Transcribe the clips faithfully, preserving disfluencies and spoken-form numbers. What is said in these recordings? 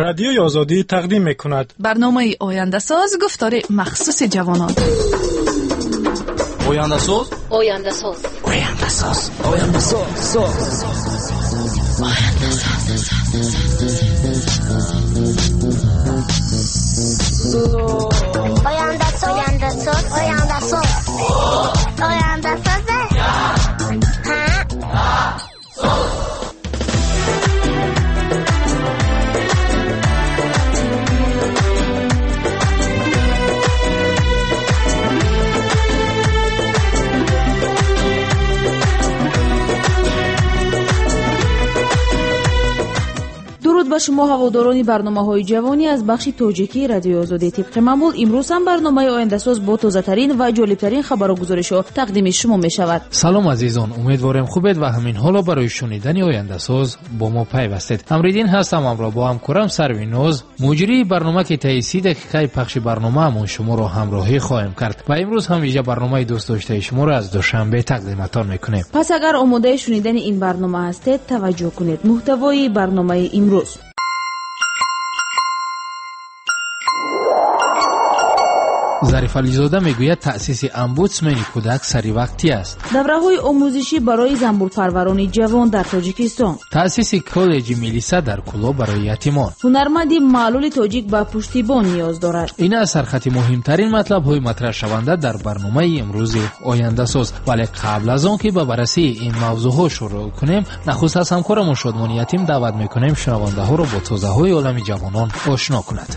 Радиои Озодӣ тақдим мекунад. Барномаи Ояндасоз, гуфтори махсуси ҷавонон. Ояндасоз, Ояндасоз, Ояндасоз, Ояндасоз, Ояндасоз, Ояндасоз, Ояндасоз, Ояндасоз. Дуруд ба шумо ҳаводорони барномаҳои ҷавонӣ аз бахши тоҷикии Радиои Озодӣ. Тибқи маъмул имрӯз ҳам барномаи Ояндасоз бо тозатарин ва ҷолибтарин хабару гузоришҳо тақдими шумо мешавад. Салом азизон, умедворем хубед ва ҳамин ҳоло барои шунидани Ояндасоз бо мо пайвастед. Амриддин ҳастам, ҳамроҳ бо ҳамкорам Сарвиноз, муҷрии барнома, ки таи си дақиқаи пахши барномаамон шуморо ҳамроҳӣ хоҳем кард ва имрӯз ҳам вижа барномаи дӯстдоштаи шуморо аз Душанбе тақдиматон мекунем. Пас агар омодаи шунидани ин барнома ҳастед, таваҷҷӯҳ кунед. Муҳтавои барномаи имрӯз: Зариф Ализода мегӯяд таъсиси омбудсмени кӯдак саривақтӣ аст. Давраҳои омӯзишӣ барои занбурпарварони ҷавон дар Тоҷикистон. Таъсиси коллеҷи милиса дар Кӯлоб барои ятимон. Ҳунарманди маълули тоҷик ба пуштибон ниёз дорад. Ин аз сархати муҳимтарин матлабҳои матраҳшаванда дар барномаи имрӯзи Ояндасоз. Вале қабл аз он ки ба баррасии ин мавзӯъҳо шурӯъ кунем, нахуст аз ҳамкорамон Шодмони Ятим даъват мекунем шунавандаҳоро бо тозаҳои олами ҷавонон ошно кунад.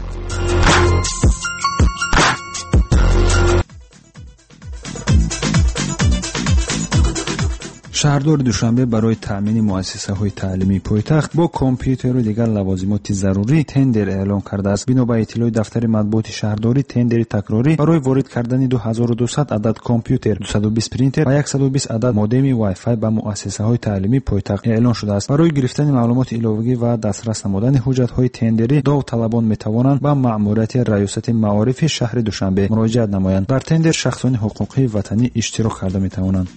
Шаҳрдори Душанбе барои таъмини муассисаҳои таълимии пойтахт бо компютеру дигар лавозимоти зарурӣ тендер эълон кардааст. Бино ба иттилои дафтари матбуоти шаҳрдорӣ, тендери такрорӣ барои ворид кардани ду ҳазору дусад адад компютер, дусаду бист принтер ва яксаду бист адад модеми Wi-Fi ба муассисаҳои таълимии пойтахт эълон шудааст. Барои гирифтани маълумоти иловагӣ ва дастрас намудани ҳуҷҷатҳои тендерӣ довталабон метавонанд ба маъмурияти раёсати маорифи шаҳри Душанбе муроҷиат намоянд. Дар тендер шахсони ҳуқуқии ватанӣ иштирок карда метавонанд.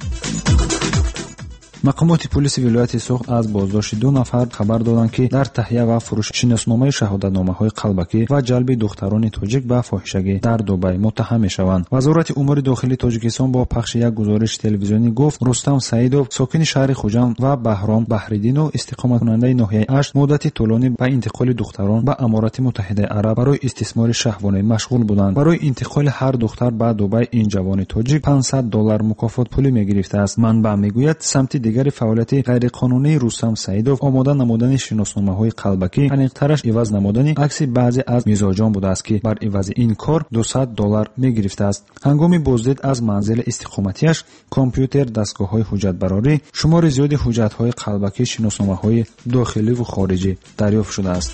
Мақомоти полиси вилояти Суғд аз боздошти ду нафар хабар доданд, ки дар таҳия ва фурӯши шиносномаи шаҳодатномаҳои қалбакӣ ва ҷалби духтарони тоҷик ба фоҳишагӣ дар Дубай муттаҳам мешаванд. Вазорати умури дохилии Тоҷикистон бо пахши як гузориши телевизионӣ гуфт, Рустам Саидов, сокини шаҳри Хуҷанд, ва Баҳром Баҳриддинов, истиқоматкунандаи ноҳияи Ашт, муддати тӯлонӣ ба интиқоли духтарон ба Аморати Муттаҳидаи Араб барои истисмори шаҳвонӣ машғул буданд. Барои интиқоли ҳар духтар ба Дубай ин ҷавони тоҷик панҷсад доллар мукофотпулӣ мегирифтааст. Манбаъ мегӯяд, самти дигари фаъолияти ғайриқонунии Рустам Саидов омода намудани шиносномаҳои қалбакӣ, аниқтараш иваз намудани акси баъзе аз мизоҷон будааст, ки бар ивази ин кор дусад доллар мегирифтааст. Ҳангоми боздид аз манзили истиқоматиаш компютер, дастгоҳҳои ҳуҷҷатбарорӣ, шумори зиёди ҳуҷҷатҳои қалбакӣ, шиносномаҳои дохиливу хориҷӣ дарёфт шудааст.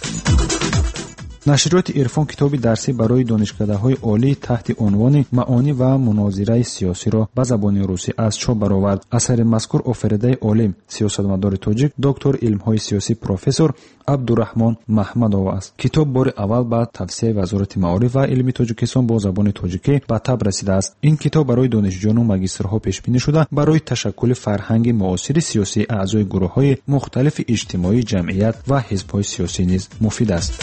Нашриёти Ирфон китоби дарсӣ барои донишкадаҳои олӣ таҳти унвони «Маъонӣ ва мунозираи сиёсиро» ба забони русӣ аз чоп баровард. Асари мазкур офаридаи олим, сиёсатмадори тоҷик, доктори илмҳои сиёсӣ, профессор Абдураҳмон Маҳмадов аст. Китоб бори аввал ба тавсияи Вазорати маориф ва илми Тоҷикистон бо забони тоҷикӣ ба таб расидааст. Ин китоб барои донишҷӯёну магистрҳо пешбинӣ шуда, барои ташаккули фарҳанги муосири сиёсии аъзои гурӯҳҳои мухталифи иҷтимоӣ, ҷамъият ва ҳизбҳои сиёсӣ низ муфид аст.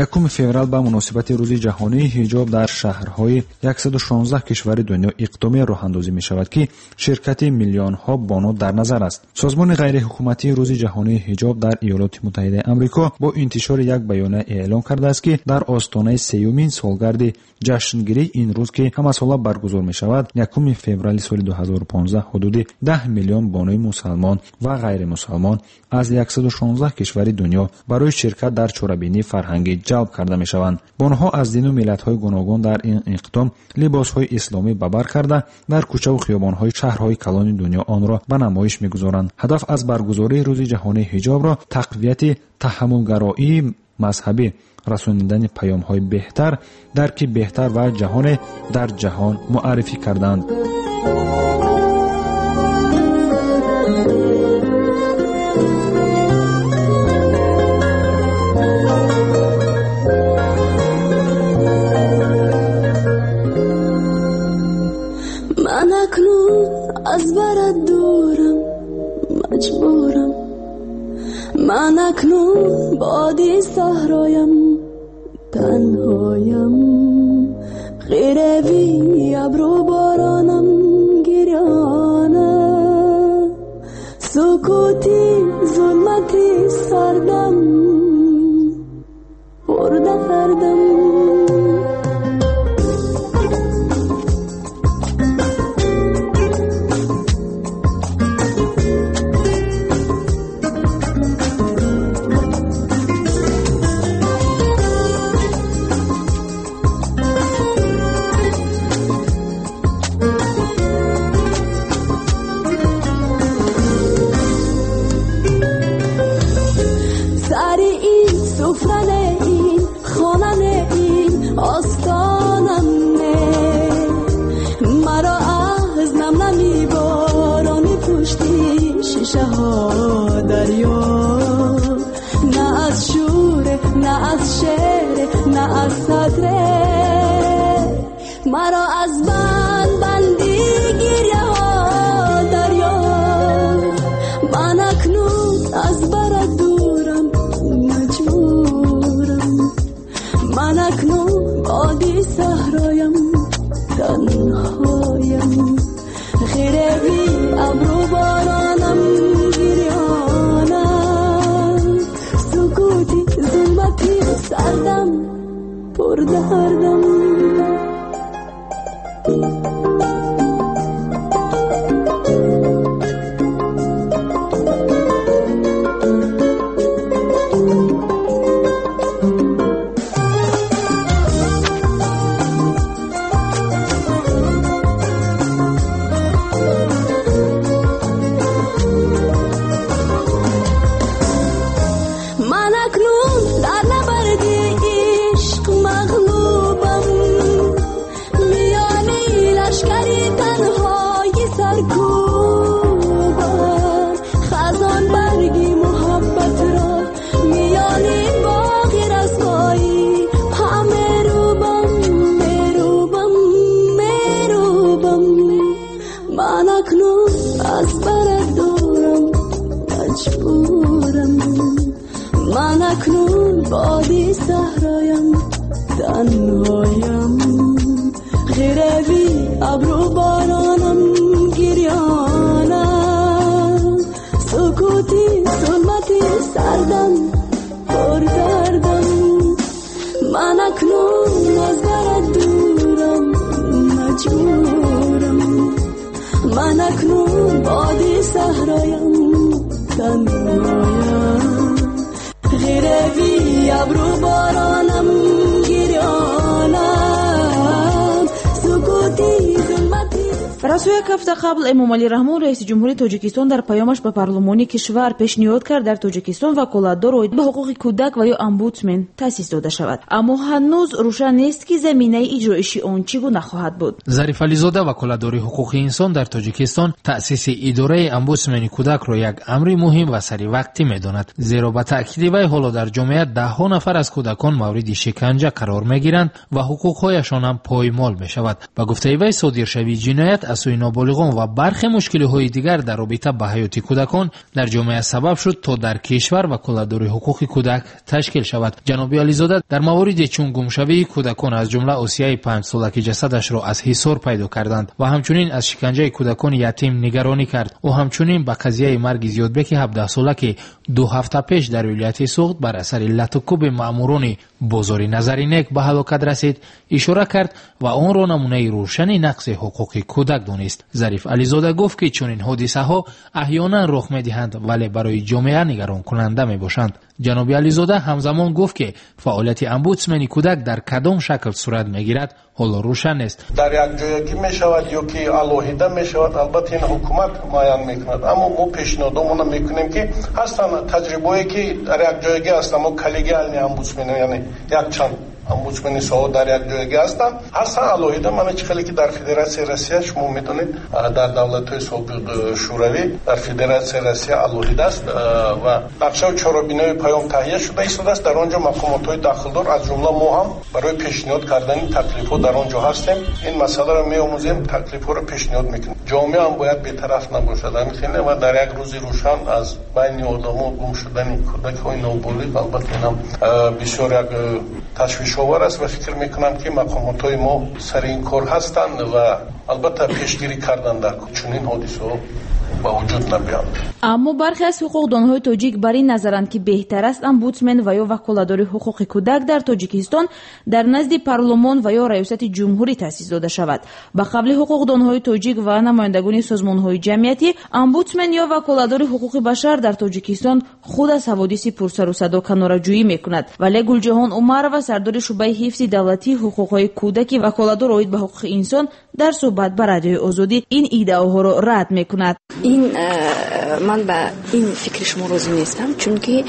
Якуми феврал ба муносибати Рӯзи ҷаҳонии ҳиҷоб дар шаҳрҳои яксаду шонздаҳ кишвари дунё иқдоме роҳандозӣ мешавад, ки ширкати миллионҳо бону дар назар аст. Созмони ғайриҳукуматии Рӯзи ҷаҳонии ҳиҷоб дар Иёлоти Муттаҳидаи Амрико бо интишори як баёния эълон кардааст, ки дар остонаи сеюмин солгарди ҷашнгирии ин рӯз, ки ҳамасола баргузор мешавад, якуми феврали соли ду ҳазору понздаҳ ҳудуди даҳ миллион бонуи мусалмон ва ғайримусалмон аз яксаду шонздаҳ кишвари дунё барои ширкат дар чорабинии фарҳангӣ ҷалб карда мешаванд. Бонуҳо аз дину миллатҳои гуногун дар ин иқдом либосҳои исломӣ ба бар карда, дар кӯчаву хиёбонҳои шаҳрҳои калони дунё онро ба намоиш мегузоранд. Ҳадаф аз баргузории Рӯзи ҷаҳонии ҳиҷобро тақвияти таҳаммулгароии мазҳабӣ, расонидани паёмҳои беҳтар, дарки беҳтар ва ҷаҳоне дар ҷаҳон муаррифӣ карданд. Ман акнун аз барат дурам, маҷбурам. Ман акнун اکنون بادی صحرایم تنهایم غیروی ابرو بارانم گریانم سکوتی ظلمتی سردم پردردم. Расо як ҳафта қабл Эмомалӣ Раҳмон, раиси ҷумҳури Тоҷикистон, дар паёмаш ба парлумони кишвар пешниҳод кард дар Тоҷикистон ваколатдор оид ба ҳуқуқи кӯдак ва ё омбудсмен таъсис дода шавад. Аммо ҳанӯз рӯшан нест, ки заминаи иҷроиши он чӣ гуна хоҳад буд. Зариф Ализода, ваколатдори ҳуқуқи инсон дар Тоҷикистон, таъсиси идораи омбудсмени кӯдакро як амри муҳим ва саривақтӣ медонад, зеро ба таъкиди вай ҳоло дар ҷомеа даҳҳо нафар аз кӯдакон мавриди шиканҷа қарор мегиранд ва ҳуқуқҳояшон ҳам поймол мешавад. Ба гуфтаи вай, содиршавии ҷиноят аз сӯи ноболиғон ва бархе мушкилиҳои дигар дар робита ба ҳаёти кӯдакон дар ҷомеа сабаб шуд, то дар кишвар ваколатдори ҳуқуқи кӯдак ташкил шавад. Ҷаноби Ализода дар мавориде чун гумшавии кӯдакон, аз ҷумла Осияи панҷсола, ки ҷасадашро аз ҳисор пайдо карданд, ва ҳамчунин аз шиканҷаи кӯдакони ятим нигаронӣ кард. Ӯ ҳамчунин ба қазияи марги Зиёдбеки ҳабдаҳсола, ки ду ҳафта пеш дар вилояти Суғд бар асари латукуби маъмурони бозори Назаринек ба ҳалокат расид, ишора кард ва онро намунаи рӯшани нақси ҳуқуқи кӯдак донист. Зариф Ализода гуфт, ки чунин ҳодисаҳо аҳёнан рух медиҳанд, вале барои ҷомеа нигаронкунанда мебошанд. Ҷаноби Ализода ҳамзамон гуфт, ки фаъолияти омбудсмени кӯдак дар кадом шакл сурат мегирад, ҳоло рӯшан нест. Дар якҷоягӣ мешавад ё ки алоҳида мешавад, албатта ин ҳукумат муайян мекунад, аммо мо пешниҳодомона мекунем, ки ҳастанд таҷрибаое, ки дар якҷоягӣ ҳастанд, мо коллегиални омбудсмен, яъне якчанд омбудсмени соҳа дар як ҷойгӣ ҳастанд. Ҳастанд алоҳида, мана чӣ хеле ки дар Федератсияи Россия шумо медонед, дар давлатҳои собиқ Шӯравӣ дар Федератсияи Россия алоҳида аст ва нақшаву чорабинои паём таҳия шуда истодааст. Дар он ҷо мақомотҳои дахлдор аз ҷумла мо ҳам барои пешниҳод кардани таклифҳо дар он ҷо ҳастем. Ин масъаларо меомӯзем, таклифҳоро пешниҳод мекунем. Ҷомеа ҳам бояд бетараф набошад. Ҳамин хеле ва дар як рӯзи рӯшан аз байни одамо гум шудани кӯдакҳои ноболиғ албатта инам бисёр як ташвишовар аст ва фикр мекунам ки мақомотҳои мо сари ин кор ҳастанд ва албатта пешгирӣ кардан дар чунин ҳодисаҳо ба вуҷуд набиёнд. Аммо бархе аз ҳуқуқдонҳои тоҷик бар ин назаранд, ки беҳтар аст омбудсмен ва ё ваколатдори ҳуқуқи кӯдак дар Тоҷикистон дар назди парлумон ва ё раёсати ҷумҳурӣ таъсис дода шавад. Ба қавли ҳуқуқдонҳои тоҷик ва намояндагони созмонҳои ҷамъиятӣ, омбудсмен ё ваколатдори ҳуқуқи башар дар Тоҷикистон худ аз ҳаводиси пурсару садо канораҷӯӣ мекунад. Вале Гулҷаҳон Умарова, сардори шӯъбаи ҳифзи давлатии ҳуқуқҳои кӯдаки ваколатдор оид ба ҳуқуқи инсон, дар суҳбат ба Радиои Озодӣ ин иддаоҳоро рад мекунад. Ин ман ба ин фикри шумо розӣ нестам, чунки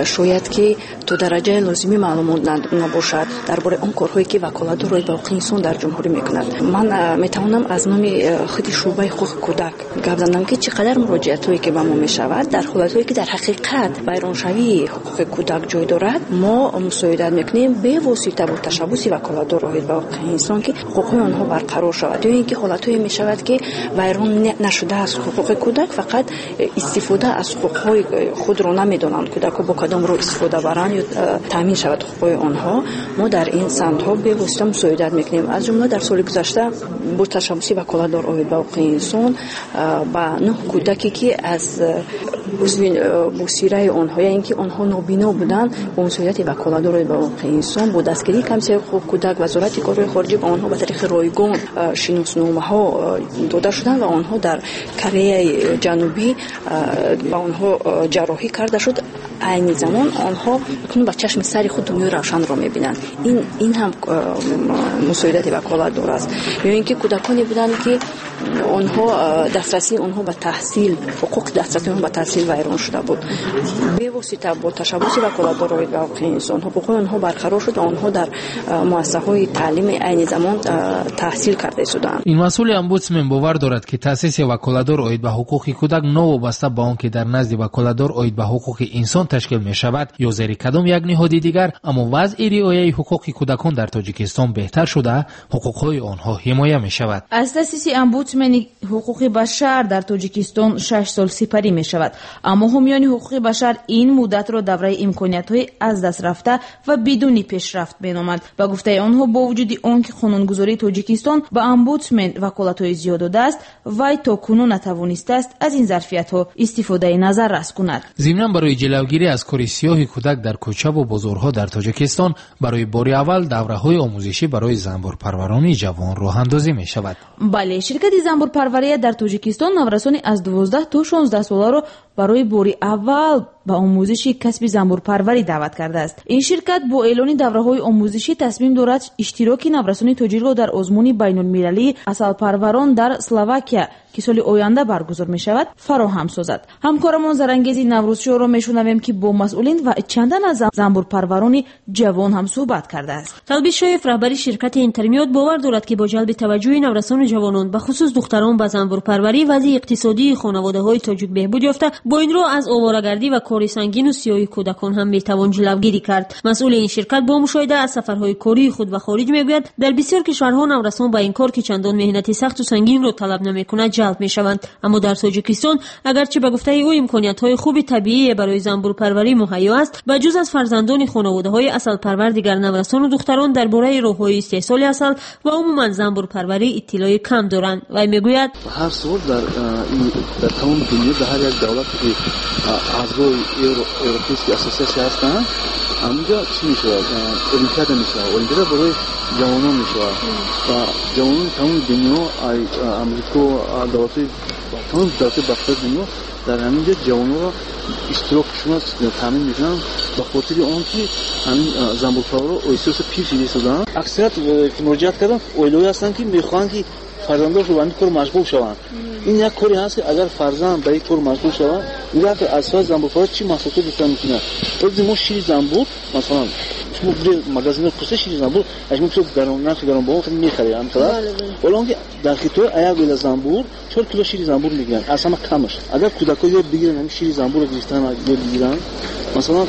шояд ки то дараҷаи лозимӣ маълумот набошад дар бораи он корҳое ки ваколатдор оид ба ҳуқуқи инсон дар ҷумҳурӣ мекунад. Ман метавонам аз номи худи шӯъбаи ҳуқуқи кӯдак гап занам, ки чӣ қадар муроҷиатҳое ки ба мо мешавад дар ҳолатҳое ки дар ҳақиқат вайроншавии ҳуқуқи кӯдак ҷой дорад, мо мусоидат мекунем бевосита бо ташаббуси ваколатдор оид ба ҳуқуқи инсон, ки ҳуқуқҳои онҳо барқарор шавад. Ё ин ки ҳолатҳое мешавад ки вайрон нашудааст ҳуқуқи кӯдак, фақат истифода аз ҳуқуқҳои худро намедонанд кӯдакҳо бо кадом роҳ истифода баранд ё таъмин шавад ҳуқуқҳои онҳо. Мо дар ин самтҳо бевосита мусоидат мекунем. Аз ҷумла дар соли гузашта бо ташаббуси ваколатдор оид ба ҳуқуқи инсон ба нӯҳ кӯдаке ки аз узви босираи онҳо, яъне ки онҳо нобино буданд, бо мусоидати ваколатдор оид ба ҳуқуқи инсон бо дастгирии комиссияи ҳуқуқи кӯдак, вазорати корҳои хориҷӣ ба онҳо ба тариқи ройгон шиносномаҳо дода шуданд ва онҳо дар Кореяи Ҷанубӣ ба онҳо ҷарроҳӣ карда шуд. Айни замон онҳо ба чашми сари худ дунёи равшанро мебинанд. Ин, ин ҳам мусоидати ваколатдор аст. Ё ин ки кӯдаконе буданд, ки онҳо дастрасии онҳо ба таҳсил, ҳуқуқи дастрасии онҳо ба таҳсил вайрон шуда буд. Бевосита бо ташаббуси ваколатдор оид ба ҳуқуқи инсон ҳуқуқҳои онҳо барқарор шуд ва онҳо дар муассисаҳои таълими айни замон таҳсил карда истоданд. Ин масъули омбудсмен бовар дорад, ки таъсиси ваколатдор оид ба ҳуқуқи кӯдак новобаста ба он ки дар назди ваколатдор оид ба ҳуқуқи инсон ташкил мешавад ё зери кадом як ниҳоди дигар, аммо вазъи риояи ҳуқуқи кӯдакон дар Тоҷикистон беҳтар шуда, ҳуқуқҳои онҳо ҳимоя мешавад. Аз таъсиси омбудсмени ҳуқуқи башар дар Тоҷикистон шаш сол сипарӣ мешавад. Аммо ҳомиёни ҳуқуқи башар ин муддатро давраи имкониятҳои аз даст рафта ва бидуни пешрафт меноманд. Ба гуфтаи онҳо, бо вуҷуди он ки қонунгузории Тоҷикистон ба омбудсмен ваколатҳои зиёд додааст, вай то кунун натавонистааст аз ин зарфиятҳо истифодаи назаррас кунад. Зимнан барои ҷилавгирӣ аз кори сиёҳи кӯдак дар кӯчаву бозорҳо дар Тоҷикистон барои бори аввал давраҳои омӯзишӣ барои занбурпарварони ҷавон роҳандозӣ мешавад. Бале, ширкати занбурпарвария дар Тоҷикистон наврасони аз дувоздаҳ то шонздаҳ соларо барои бори аввал ба омӯзиши касби занбурпарварӣ даъват кардааст. Ин ширкат бо эълони давраҳои омӯзишӣ тасмим дорад иштироки наврасони тоҷикро дар озмуни байнулмилалии асалпарварон дар Словакия, ки соли оянда баргузор мешавад, фароҳам созад. Ҳамкорамон Зарангези Наврӯзшоҳро мешунавем, ки бо масъулин ва чандан аз занбурпарварони ҷавон ҳам суҳбат кардааст. Талбишоев, раҳбари ширкати Интермиёд, бовар дорад, ки бо ҷалби таваҷҷӯҳи наврасону ҷавонон, ба хусус духтарон, ба занбурпарварӣ вазъи иқтисодии хонаводаҳои тоҷик беҳбуд ёфта, бо ин роҳ аз оворагардӣ ва кори сангину сиёҳи кӯдакон ҳам метавон ҷилавгирӣ кард. Масъули ин ширкат бо мушоҳида аз сафарҳои кории худ ба хориҷ мегӯяд, дар бисёр кишварҳо наврасон ба ин кор, ки чандон меҳнати сахту сангинро талаб намекунад, ҷалб мешаванд. Аммо дар Тоҷикистон, агарчи ба гуфтаи ӯ имкониятҳои хуби табиие барои занбурпарварӣ муҳайё аст, ба ҷуз аз фарзандони хонаводаҳои асалпарвар дигар наврасону духтарон дар бораи роҳҳои истеҳсоли асал ва умуман занбурпарварӣ иттилои кам доранд. Вай мегӯяд, ҳар сол дар дар тамоми дунё дар ҳар як давлате ки аъзои Европейский ассотсиатсия ҳастанд, ҳаминҷо чӣ мешавад? Олимпиада мешавад. Олимпиада барои ҷавонон мешавад ва ҷавонони тамоми дунё, Амрико, давлатҳои тамоми давлатҳои бахтиёри дунё дар ҳамин ҷо ҷавононро иштирокшона таъмин мекунанд, ба хотири он ки ҳамин занбурпарварро оҳиста-оҳиста пир шида истодаанд. Аксарият ки муроҷиат карданд, оилаҳое ҳастанд, ки мехоҳанд ки фарзандонашон ба ҳамин кор машғул шаванд. Ин як коре ҳаст, ки агар фарзанд ба ин кор машғул шавад, дигар аз соҳаи занбурпарварӣ чӣ маҳсулот дошта мекунад? Мо шири занбур, масалан, Шумо бире магазинро пурса шири занбур, аз шумо бисёр гарон, нархи гаронбаҳо хеле мехаред, ҳамхела. Ҳоло он ки дар Хитой як оила занбур чор кило шири занбур мегиранд, аз ҳама камаш. Агар кӯдакҳо ёд бигиранд ҳамин шири занбурро гирифтан ёд бигиранд, масалан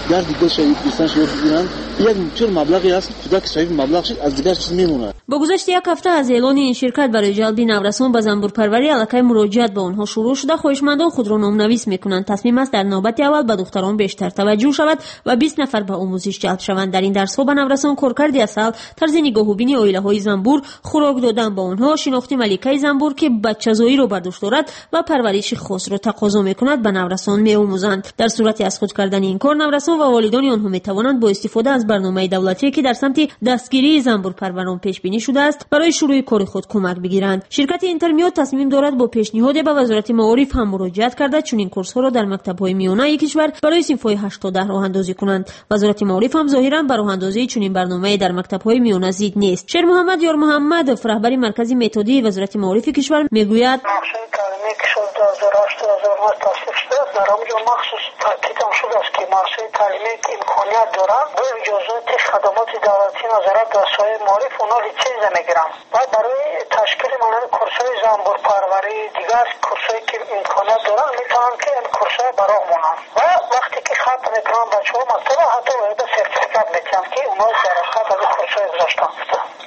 гарди гулша гирифтанаш ёд бигиранд, як бисёр маблағе аст, кӯдак соҳиби маблағ шуд, аз дигар чиз мемонад. Бо гузашти як ҳафта аз эълони ин ширкат барои ҷалби наврасон ба занбурпарварӣ аллакай муроҷиат ба онҳо шурӯъ шуда, хоҳишмандон худро номнавис мекунанд. Тасмим аст дар навбати аввал ба духтарон бештар таваҷҷӯҳ шавад ва бист нафар ба омӯзиш ҷалб шаванд. Дар ин дарсҳо ба наврасон коркарди асал, тарзи нигоҳубини оилаҳои занбур, хӯрок додан ба онҳо, шинохти маликаи занбур, ки бачазоиро бар дӯш дорад ва парвариши хосро тақозо мекунад, ба наврасон меомӯзанд. Дар сурати аз худ кардани ин кор наврасон ва волидони онҳо метавонанд бо истифода аз барномаи давлатӣ, ки дар самти дастгирии занбурпарварон пешбинӣ шудааст, барои шурӯи кори худ кӯмак бигиранд. Ширкати Интермиёд тасмим дорад бо пешниҳоде ба Вазорати маориф ҳам муроҷиат карда, чунин курсҳоро дар мактабҳои миёнаи кишвар барои синфҳои ҳашт то даҳ роҳандозӣ кунанд. Вазорати маориф ҳам зоҳиран ба роҳандозии чунин барномае дар мактабҳои миёна зид нест. Шермуҳаммад Ёрмуҳаммадов, раҳбари маркази методии Вазорати маорифи кишвар, мегӯяд: нақшаи таълимие, ки соли ду ҳазору ҳашт ду ҳазору нӯҳ тасдиқ шудааст, дар он ҷо махсус таъкидам шудааст, ки муассисаи таълимие, ки имконият доранд, бо иҷозати хадамоти давлатӣ назорат дар соҳаи маориф, онҳо литсензия мегиранд ва барои ташкили монанди курсҳои занбурпарварӣ, дигар курсҳое, ки имконият доранд, метавонанд, ки ин курсҳоро ба роҳ монанд ва вақте ки хатм мекунанд бачаҳо мактабро, ҳатто ояда сертификат медиҳанд, ки онҳо дар ҳақиқат аз ин курсҳое гузаштанд.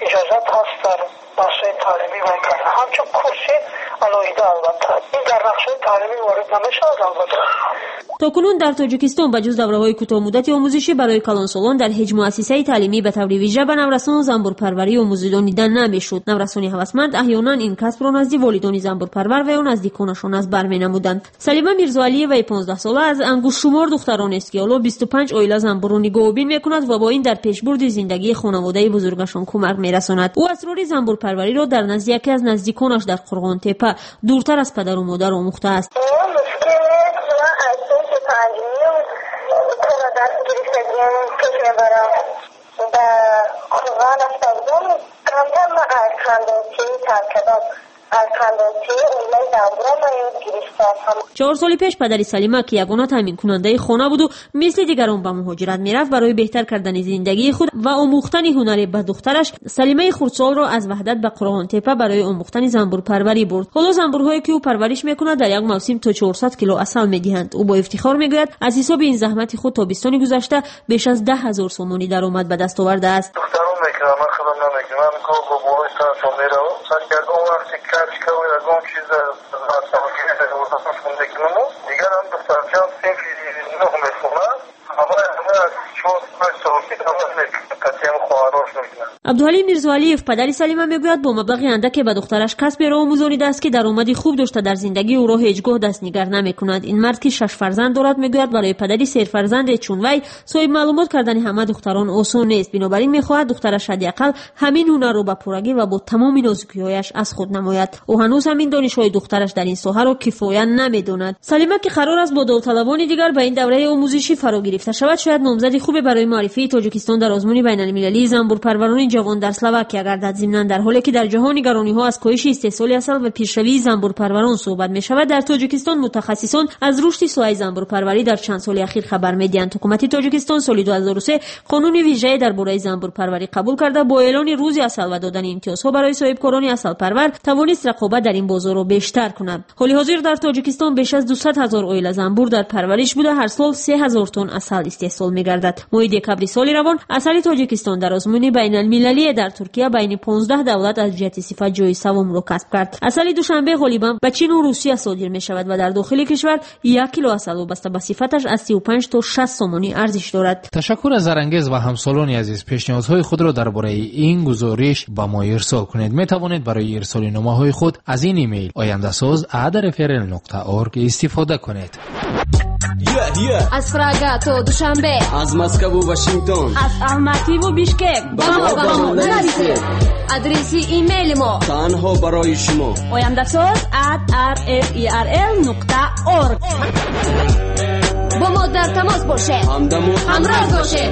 Иҷозат ҳаст дар муассисаи таълимӣ вай кардан ҳамчун курси алоҳида. Албатта, ин дар нақшаи таълимӣ ворид намешавад, албатта. То кунун дар Тоҷикистон ба ҷуз давраҳои кӯтоҳмуддати омӯзишӣ барои калонсолон дар ҳеҷ муассисаи таълимӣ ба таври вижа ба наврасон занбурпарварӣ омӯзонида намешуд. Наврасони ҳавасманд аҳёнан ин касбро назди волидони занбурпарвар ва ё наздиконашон аз бар менамуданд. Салима Мирзоалиеваи понздаҳсола аз ангуштшумор духтаронест, ки ҳоло бисту панҷ оила занбурро нигоҳубин мекунад ва бо ин дар пешбурди зиндагии хонаводаи бузургашон кӯмак мерасонад. Ӯ асрори занбурпарвариро дар назди яке аз наздиконаш дар Қурғонтепа, дуртар аз падару модар, омӯхтааст. Чор соли пеш падари Салима, ки ягона таъминкунандаи хона буду мисли дигарон ба муҳоҷират мерафт, барои беҳтар кардани зиндагии худ ва омӯхтани ҳунаре ба духтараш, Салимаи хурдсолро аз Ваҳдат ба Қурғонтепа барои омӯхтани занбурпарварӣ бурд. Ҳоло занбурҳое, ки ӯ парвариш мекунад, дар як мавсим то чорсад кило асал медиҳанд. Ӯ бо ифтихор мегӯяд, аз ҳисоби ин заҳмати худ тобистони гузашта беш аз даҳ ҳазор сомонӣ даромад ба даст овардааст. Абдуҳалим Мирзоалиев, падари Салима, мегӯяд, бо маблағи андаке ба духтараш касберо омӯзонидааст, ки даромади хуб дошта дар зиндагии ӯро ҳеҷ гоҳ дастнигар намекунад. Ин мард, ки шаш фарзанд дорад, мегӯяд, барои падари серфарзанде чун вай соҳиб маълумот кардани ҳама духтарон осон нест. Бинобар ин мехоҳад духтараш ҳадди ақал ҳамин ҳунарро ба пуррагӣ ва бо тамоми нозукиҳояш аз худ намояд. Ӯ ҳанӯз ҳамин донишҳои духтараш дар ин соҳаро кифоя намедонад. Салима, ки қарор аст бо довталабони дигар ба ин давраи омӯзишӣ фаро гирифта шавад, шояд номзади хубе барои муаррифии Тоҷикистон дар озмуни байналмилалии занбурпарварони ҷавон дар Словакия гардад. Зимнан, дар ҳоле ки дар ҷаҳон нигарониҳо аз коҳиши истеҳсоли асал ва пешравии занбурпарварон суҳбат мешавад, дар Тоҷикистон мутахассисон аз рушди соҳаи занбурпарварӣ дар чанд соли ахир хабар медиҳанд. Ҳукумати Тоҷикистон соли ду ҳазору се қонуни вижае дар бораи занбурпарварӣ қабул карда, бо эълони рӯзи асал ва додани имтиёзҳо барои соҳибкорони асалпарвар тавонист рақобат дар ин бозорро бештар кунад. Ҳоли ҳозир дар Тоҷикистон беш аз дусад ҳазор оила занбур дар парвариш буда, ҳар сол се ҳазор тонн асал истеҳсол мегардад. Моҳи декабри соли равон асали Тоҷикистон дар озмуни байналмилалие дар Туркия байни понздаҳ давлат аз ҷиҳати сифат ҷои севумро касб кард. Асали Душанбе ғолибан ба Чину Русия содир мешавад ва дар дохили кишвар як кило асал вобаста ба сифаташ аз сию панҷ то шаст сомонӣ арзиш дорад. Ташаккур аз Зарангез ва ҳамсолони азиз. Пешниҳодҳои худро дар бораи ин гузориш ба мо ирсол кунед. Метавонед барои ирсоли номаҳои худ аз ин имейл ояндасоз at r f r l нуқта org истифода кунед. Аз Прага то Душанбе, аз Москву Вашингтон, аз Алмативу Бишкек ба мо ба мо нависед. Адреси имейли мо танҳо барои шумо ояндасоз at r f r l нуқта org. Бо мо дар тамос бошед, ҳамдаму ҳамроз бошед.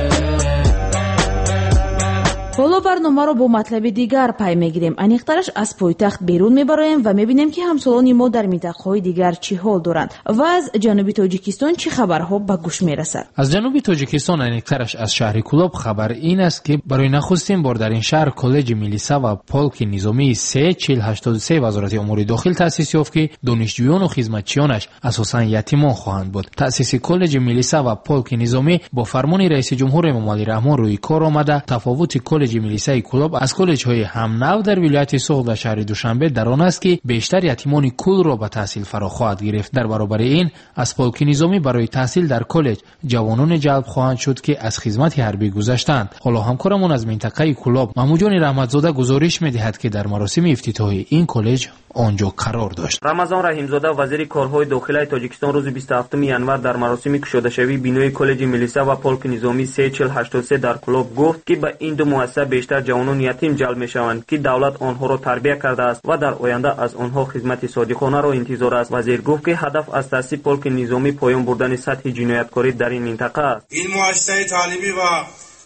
Ҳоло барномаро бо матлаби дигар пай мегирем. Аниқтараш аз пойтахт берун мебароем ва мебинем, ки ҳамсолони мо дар минтақаҳои дигар чӣ ҳол доранд ва аз ҷануби Тоҷикистон чӣ хабарҳо ба гӯш мерасад. Аз ҷануби Тоҷикистон, аниқтараш аз шаҳри Кӯлоб, хабар ин аст, ки барои нахустин бор дар ин шаҳр коллеҷи милиса ва полки низомии се чил ҳаштоду се Вазорати умури дохил таъсис ёфт, ки донишҷӯёну хизматчиёнаш асосан ятимон хоҳанд буд. Таъсиси коллеҷи милиса ва полки низомӣ бо фармони раиси ҷумҳур Эмомалӣ Раҳмон рӯи кор омада, тафовути коллеҷи милисаи Кӯлоб аз коллеҷҳои ҳамнав дар вилояти Суғд ва шаҳри Душанбе дар он аст, ки бештар ятимони кулро ба таҳсил фаро хоҳад гирифт. Дар баробари ин аз полки низомӣ барои таҳсил дар коллеҷ ҷавононе ҷалб хоҳанд шуд, ки аз хизмати ҳарбӣ гузаштаанд. Ҳоло ҳамкорамон аз минтақаи Кӯлоб Маҳмудҷони Раҳматзода гузориш медиҳад, ки дар маросими ифтитоҳи ин коллеҷ онҷо қарор дошт. Рамазон Раҳимзода, вазири корҳои дохилаи Тоҷикистон, рӯзи бисту ҳафтуми январ дар маросими кушодашавии бинои коллеҷи милиса ва полки низомии се чил ҳаштоду се дар Кӯлоб гуфт, ки ба ин ду муассиса бештар ҷавонони ятим ҷалб мешаванд, ки давлат онҳоро тарбия кардааст ва дар оянда аз онҳо хизмати содиқонаро интизор аст. Вазир гуфт, ки ҳадаф аз таъсиси полки низомӣ поён бурдани сатҳи ҷинояткорӣ дар ин минтақа аст. Ин муассисаи таълимӣ ва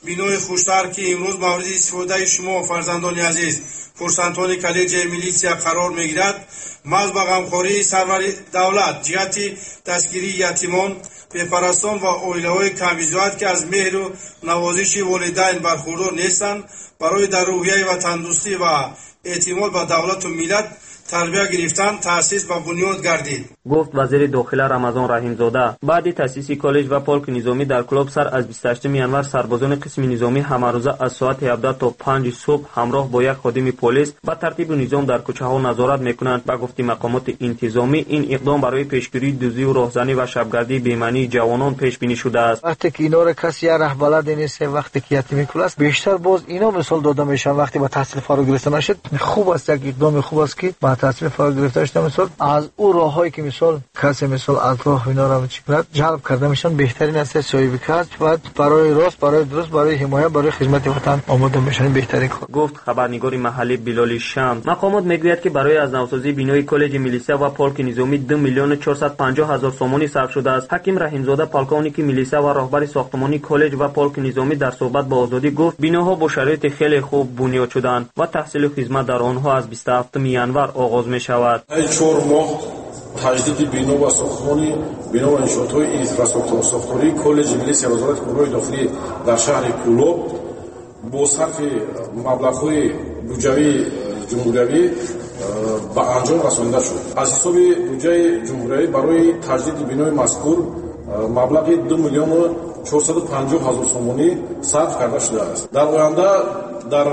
бинои хуштар, ки имрӯз мавриди истифодаи шумо, фарзандони азиз, курсантони коллеҷи милитсия қарор мегирад, маҳз ба ғамхории сарвари давлат ҷиҳати дастгирии ятимон, бепарастон ва оилаҳои камбизоат, ки аз меҳру навозиши волидайн бархурдор нестанд, барои дар рӯҳияи ватандӯстӣ ва эътимод ба давлату миллат тарбия гирифтан таъсис ба бунёд гардид, гуфт вазири дохила Рамазон Раҳимзода. Баъди таъсиси коллеҷ ва полки низомӣ дар Кӯлоб сар аз бисту ҳаштуми январ сарбозони қисми низомӣ ҳамарӯза аз соати ҳабдаҳ то панҷ субҳ ҳамроҳ бо як ходими полис ба тартибу низом дар кӯчаҳо назорат мекунанд. Ба гуфти мақомоти интизомӣ, ин иқдом барои пешгирии дуздию роҳзанӣ ва шабгардии бемаънии ҷавонон пешбинӣ шудааст. Вақте ки инора каси як раҳбалад нест, вақте ки ятими кул аст, бештар боз ино мисол дода мешаванд. Вақте ба таҳсил фаро гирифта нашуд, хуб аст, як иқдоми хуб аст, ки ба таҳсил фаро гирифта шуда, мисол аз ӯ роҳҳое ки мисол касе мисол аз роҳ инора чӣ кунад, ҷалб карда мешаванд. Беҳтарин аст соҳиби касб ва барои рост, барои дуруст, барои ҳимоя, барои хизмати ватан омода мешаванд. Беҳтарин кор, гуфт хабарнигори маҳаллӣ Билоли Шам. Мақомот мегӯяд, ки барои аз навсозии бинои коллеҷи милиса ва полки низомӣ ду миллиону чорсад панҷоҳ ҳазор сомонӣ сарф шудааст. Ҳаким Раҳимзода, полковники милиса ва роҳбари сохтмонии коллеҷ ва полки низомӣ, дар суҳбат бо Озодӣ гуфт, биноҳо бо шароити хеле хуб бунёд шуданд ва таҳсилу хизмат дар онҳо аз бисту ҳафтуми январ оғоз мешавад. Чор моҳ таҷдиди бино ва сохтмони бино ва иншоотҳои инфрасохтории коллеҷи милисия Вазорати корҳои дохилӣ дар шаҳри Кӯлоб бо сарфи маблағҳои буҷавии ҷумҳуриявӣ ба анҷом расонида шуд. Аз ҳисоби буҷаи ҷумҳуриявӣ барои таҷдиди бинои мазкур маблағи ду миллиону чорсаду панҷоҳ ҳазор сомонӣ сарф карда шудааст. Дар оянда дар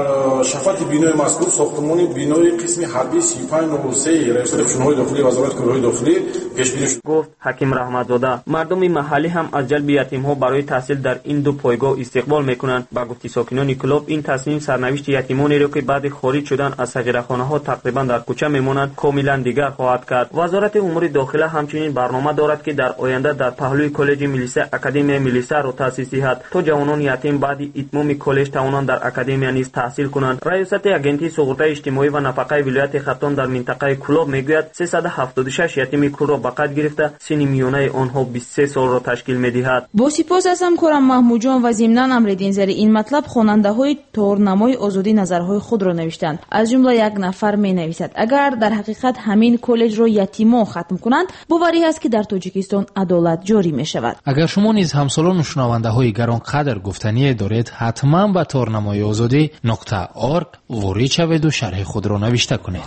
шафати бинои мазкур сохтмони бинои қисми ҳарбии си панҷ нол се раёсати қушунҳои дохилии Вазорати корҳои дохилӣ пешбинӣ шуд, гуфт Ҳаким Раҳматзода. Мардуми маҳаллӣ ҳам аз ҷалби ятимҳо барои таҳсил дар ин ду пойгоҳ истиқбол мекунанд. Ба гуфти сокинони Кӯлоб, ин тасмим сарнавишти ятимонеро, ки баъди хориҷ шудан аз сағирахонаҳо тақрибан дар кӯча мемонанд, комилан дигар хоҳад кард. Вазорати умури дохила ҳамчунин барнома дорад, ки дар оянда дар паҳлӯи коллеҷи милиса академияи милисаро таъсис диҳад, то ҷавонони ятим баъди итмоми коллеҷ тавонанд дар академия низ таҳсил кунанд. Раёсати агентии суғуртаи иҷтимоӣ ва нафақаи вилояти Хатлон дар минтақаи Кӯлоб мегӯяд, сесаду ҳафтоду шаш ятими кулро ба қайд гирифта, синни миёнаи онҳо бисту се солро ташкил медиҳад. Бо сипос аз ҳамкорам Маҳмудҷон ва зимнан Амриддин зери ин матлаб хонандаҳои торнамои Озодӣ назарҳои худро навиштанд. Аз ҷумла як нафар менависад: агар дар ҳақиқат ҳамин коллеҷро ятимон хатм кунанд, боварӣ ҳаст, ки дар Тоҷикистон адолат ҷорӣ мешавад. Агар шумо низ ҳамсолону шунавандаҳои гаронқадр гуфтание доред, ҳатман ба торнамои Озодӣ нуқта орг ворид шаведу шарҳи худро навишта кунед.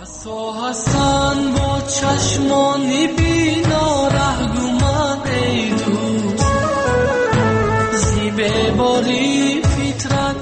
Ҳасан бо чашмони бино раҳгуман, эй дӯст, зи беборӣ фитрат.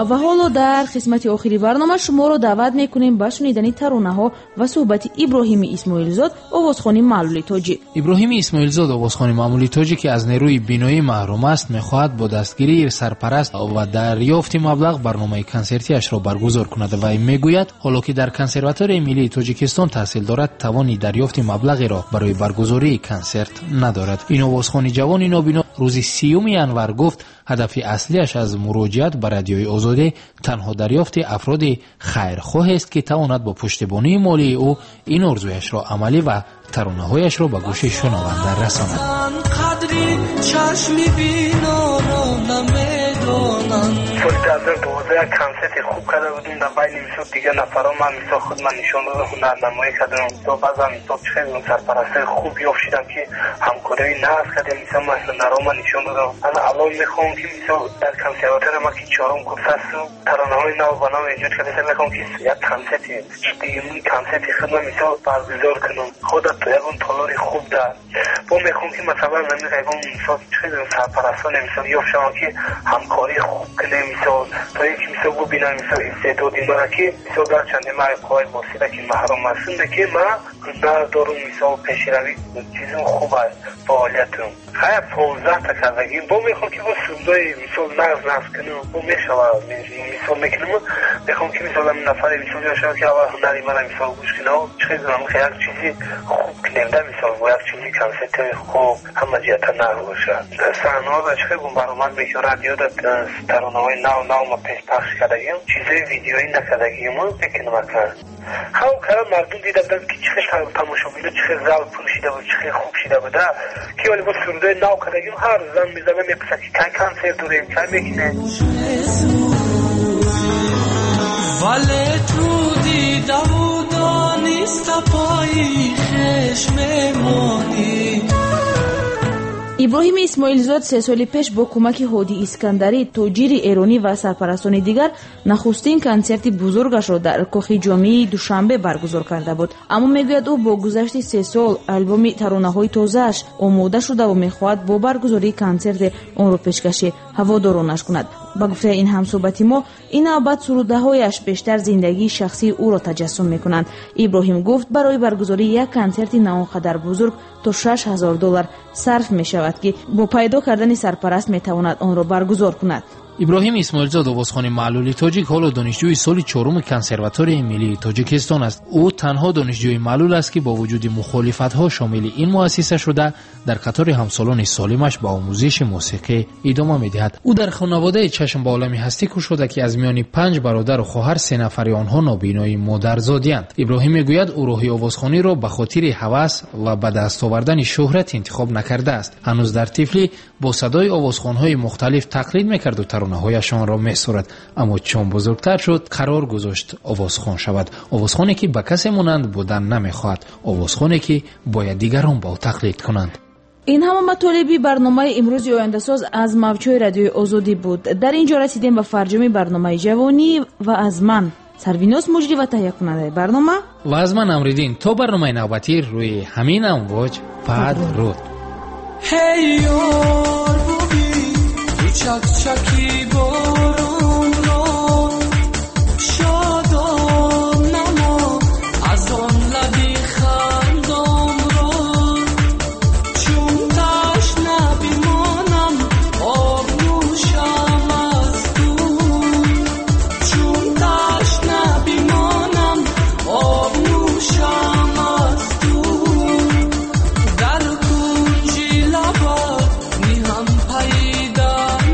Ва ҳоло дар қисмати охири барнома шуморо даъват мекунем ба шунидани таронаҳо ва суҳбати Иброҳими Исмоилзод, овозхони маъмули тоҷик. Иброҳими Исмоилзод, овозхони маъмули тоҷик, ки аз нерӯи биноӣ маҳрум аст, мехоҳад бо дастгирии сарпараст ва дарёфти маблағ барномаи консертиашро баргузор кунад. Вай мегӯяд, ҳоло ки дар консерваторияи миллии Тоҷикистон таҳсил дорад, тавони дарёфти маблағеро барои баргузории консерт надорад. Ин овозхони ҷавони нобино рӯзи сиюми январ гуфт, ҳадафи аслиаш аз муроҷиат ба радиои Озодӣ танҳо дарёфти афроди хайрхоҳест, ки тавонад бо пуштибонии молии ӯ ин орзуяшро амалӣ ва таронаҳояшро ба гӯши шунаванда расонад. Қадри чашми биноро намедонанд. Соли ҳазор дувоздаҳ як консерти хуб карда будем, дар байни мисол дигар нафарҳо ман мисол худ ман нишон додам, ҳунарнамоӣ кардам. Мисол баъзан мисол чӣ хел сарпарастҳои хуб ёфт шудам, ки ҳамкориҳои нағз кардем, мисол ман ҳунарҳо ман нишон додам. Ман алло мехоҳам, ки мисол дар консерватория ман ки чорум курс ҳастам, таронаҳои нав ба нав эҷод карда, мехоҳам ки як консерти дуюми консерти худ ман мисол баргузор кунам, худат то ягон толори хуб дар бо мехоҳам, ки масалан ҳамин ягон мисол чӣ хел сарпарастоне мисол ёфт шавам, ки ҳамкории хуб кунем, мисол то ин ки мисол бубинам мисол истеъдоди мара, ки мисол гарчанде ман қувваи босира ки маҳрум ҳастам, ки ман ҳунар дорум, мисол пешравӣ чизум хуб аст фаъолиятум. Хая понздаҳта кардагим, бо мехоҳам, ки бо сурудҳои мисол нағз нағз кунам, бо мешава мисол мекунам, мехоҳам, ки мисол ҳамин нафаре мисол ёфт шавад, ки аввал ҳунари мара мисол гӯш кунад, чӣ хел кунам, як чизи хуб кунем да, мисол бо як чизи консертҳои хуб ҳама ҷиҳата нағз бошад. Саҳнаҳо чӣ хел баромад мекунам, радиода таронаҳои нав нав ма пешпахш кардагим, чизҳои видеоӣ накардагим, мекунам акнун. Ҳам кара мардум дида буданд, ки чӣ хел тамошобино, чӣ хел зал пур шида буд, чӣ хел хуб шида буда, ки вале бо сурудҳои нав кардагим, ҳар зан мезана мепурсад, ки кай консерт дорем, кай мекунем. Вале ту дидаву дониста пои хеш мемонӣ. Иброҳими Исмоилзод се соли пеш бо кӯмаки Ҳоди Искандарӣ, тоҷири эронӣ ва сарпарастони дигар нахустин консерти бузургашро дар кохи ҷомеи Душанбе баргузор карда буд. Аммо мегӯяд, ӯ бо гузашти се сол албоми таронаҳои тозааш омода шудаву мехоҳад бо баргузории консерте онро пешкаши ҳаводоронаш кунад. Ба гуфтаи ин ҳамсӯҳбати мо, ин навбат сурудаҳояш бештар зиндагии шахсии ӯро таҷассум мекунанд. Иброҳим гуфт, барои баргузории як консерти на он қадар бузург то шаш ҳазор доллар сарф мешавад, ки бо пайдо кардани сарпараст метавонад онро баргузор кунад. Иброҳим Исмоилзод, овозхони маълули тоҷик, ҳоло донишҷӯи соли чоруми консерваторияи миллии Тоҷикистон аст. Ӯ танҳо донишҷӯи маълул аст, ки бо вуҷуди мухолифатҳо шомили ин муассиса шуда, дар қатори ҳамсолони солимаш ба омӯзиши мусиқӣ идома медиҳад. Ӯ дар хонаводаи чашм ба олами ҳастӣ кушода, ки аз миёни панҷ бародару хоҳар се нафари онҳо нобинои модарзодиянд. Иброҳим мегӯяд, ӯ роҳи овозхониро ба хотири ҳавас ва ба даст овардани шӯҳрат интихоб накардааст. Ҳанӯз дар тифлӣ бо садои овозхонҳои мухталиф тақлид мекарду таронаҳояшонро месурад. Аммо чун бузургтар шуд, қарор гузошт овозхон шавад. Овозхоне, ки ба касе монанд будан намехоҳад, овозхоне, ки бояд дигарон ба ӯ тақлид кунанд. Ин ҳама матолиби барномаи имрӯзи ояндасоз аз мавҷҳои радиои Озодӣ буд. Дар ин ҷо расидем ба фарҷоми барномаи ҷавонӣ ва аз ман Сарвиноз муҷрӣ ва таҳиякунандаи барнома ва аз ман Амриддин. То барномаи навбатӣ рӯи ҳамин амвоҷ падруд. Ҳей ёр, бубин чак-чаки боронро, шодон намо аз он лаби хандонро, чун ташна бимонам об нӯшам аз ту, чун ташна бимонам об нӯшам аз ту, дар кунҷи лабат ниҳам пайдандонро.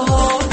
Баҳор.